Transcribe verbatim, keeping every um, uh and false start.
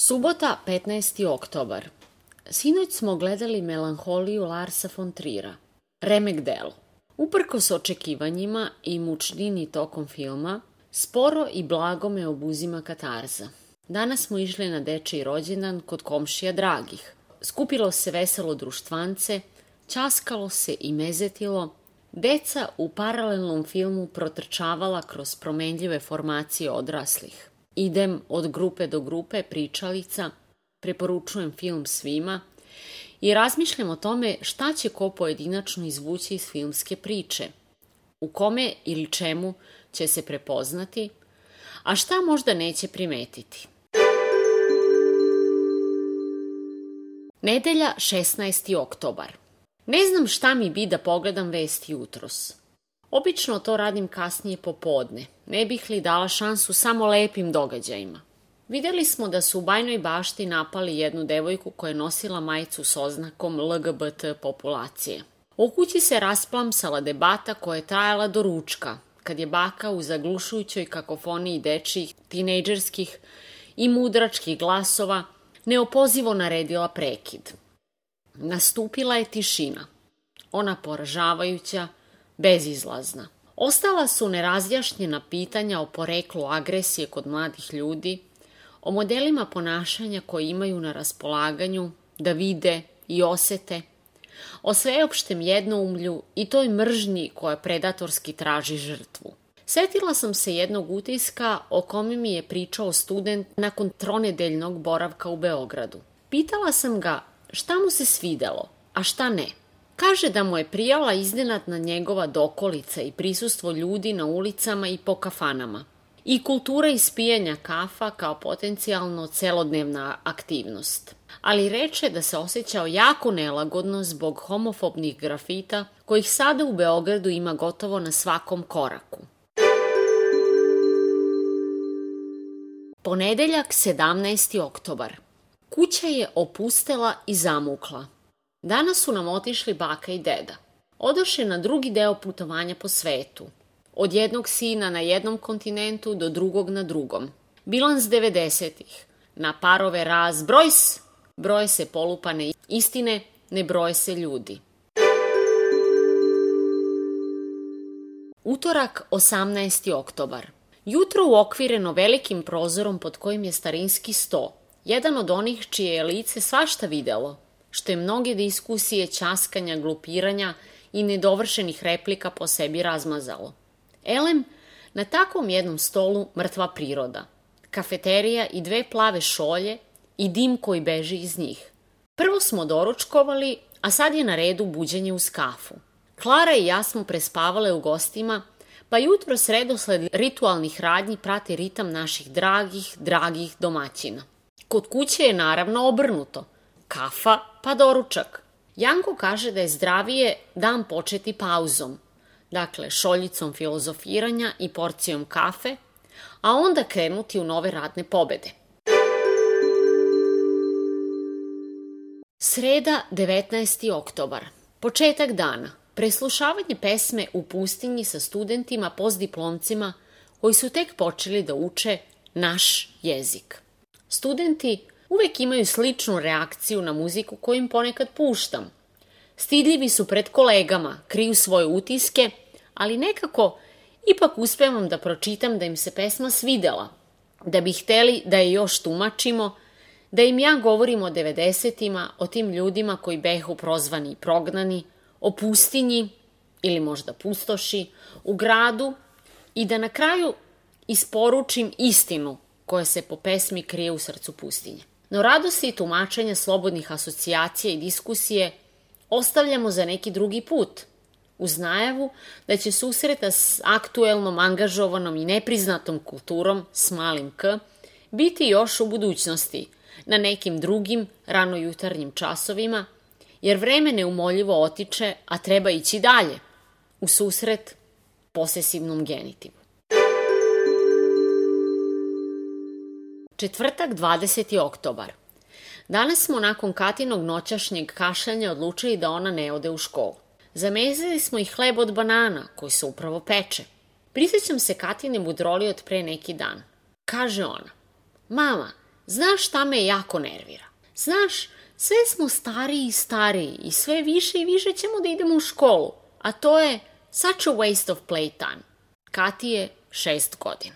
Subota, petnaesti oktobar. Sinoć smo gledali Melanholiju Larsa von Trira, remek delo. Uprkos očekivanjima i mučnini tokom filma, sporo i blago me obuzima katarza. Danas smo išli na dečiji rođendan kod komšija dragih. Skupilo se veselo društvance, ćaskalo se i mezetilo, deca u paralelnom filmu protrčavala kroz promenljive formacije odraslih. Idem od grupe do grupe pričalica, preporučujem film svima i razmišljam o tome šta će ko pojedinačno izvući iz filmske priče, u kome ili čemu će se prepoznati, a šta možda neće primetiti. Nedelja, šesnaesti oktobar. Ne znam šta mi bi da pogledam vesti jutros. Obično to radim kasnije popodne, ne bih li dala šansu samo lepim događajima. Videli smo da su u Bajnoj Bašti napali jednu devojku koja je nosila majicu s oznakom L G B T populacije. U kući se rasplamsala debata koja je trajala do ručka, kad je baka u zaglušujućoj kakofoniji dečijih, tinejdžerskih i mudračkih glasova neopozivo naredila prekid. Nastupila je tišina, ona poražavajuća, bezizlazna. Ostala su nerazjašnjena pitanja o poreklu agresije kod mladih ljudi, o modelima ponašanja koje imaju na raspolaganju da vide i osete, o sveopštem jednoumlju i toj mržnji koja predatorski traži žrtvu. Setila sam se jednog utiska o kome mi je pričao student nakon tronedeljnog boravka u Beogradu. Pitala sam ga šta mu se svidelo, a šta ne. Kaže da mu je prijala iznenadna njegova dokolica i prisustvo ljudi na ulicama i po kafanama. I kultura ispijanja kafa kao potencijalno celodnevna aktivnost. Ali reče da se osjećao jako nelagodno zbog homofobnih grafita kojih sada u Beogradu ima gotovo na svakom koraku. Ponedeljak, sedamnaesti oktobar. Kuća je opustela i zamukla. Danas su nam otišli baka i deda. Odoše na drugi deo putovanja po svetu. Od jednog sina na jednom kontinentu do drugog na drugom. Bilans devedesetih. Na parove raz brojs, broje se polupane istine, ne broje se ljudi. Utorak, osamnaesti oktobar. Jutro uokvireno velikim prozorom pod kojim je starinski sto. Jedan od onih čije je lice svašta videlo, što je mnoge diskusije, ćaskanja, glupiranja i nedovršenih replika po sebi razmazalo. Elem, na takvom jednom stolu mrtva priroda, kafeterija i dve plave šolje i dim koji beži iz njih. Prvo smo doručkovali, a sad je na redu buđenje uz kafu. Klara i ja smo prespavale u gostima, pa jutro sredosled ritualnih radnji prati ritam naših dragih, dragih domaćina. Kod kuće je naravno obrnuto. Kafa pa doručak. Janko kaže da je zdravije dan početi pauzom, dakle šoljicom filozofiranja i porcijom kafe, a onda krenuti u nove radne pobede. Sreda, devetnaesti oktobar. Početak dana. Preslušavanje pesme u pustinji sa studentima postdiplomcima koji su tek počeli da uče naš jezik. Studenti uvek imaju sličnu reakciju na muziku koju im ponekad puštam. Stidljivi su pred kolegama, kriju svoje utiske, ali nekako ipak uspevam da pročitam da im se pesma svidela, da bi hteli da je još tumačimo, da im ja govorim o devedesetima, o tim ljudima koji behu prozvani i prognani, o pustinji ili možda pustoši, u gradu i da na kraju isporučim istinu koja se po pesmi krije u srcu pustinje. No radosti i tumačenja slobodnih asocijacija i diskusije ostavljamo za neki drugi put, uz najavu da će susreta s aktuelnom, angažovanom i nepriznatom kulturom s malim k biti još u budućnosti, na nekim drugim ranojutarnjim časovima, jer vreme neumoljivo otiče, a treba ići dalje, u susret posesivnom genitivu. Četvrtak, dvadeseti oktobar. Danas smo nakon Katinog noćašnjeg kašljanja odlučili da ona ne ode u školu. Zamezili smo i hleb od banana, koji se upravo peče. Prisjećam se Katine budroli od pre neki dan. Kaže ona, mama, Znaš šta me jako nervira? Znaš, sve smo stariji i stariji i sve više i više ćemo da idemo u školu, a to je such a waste of playtime. Kati je šest godina.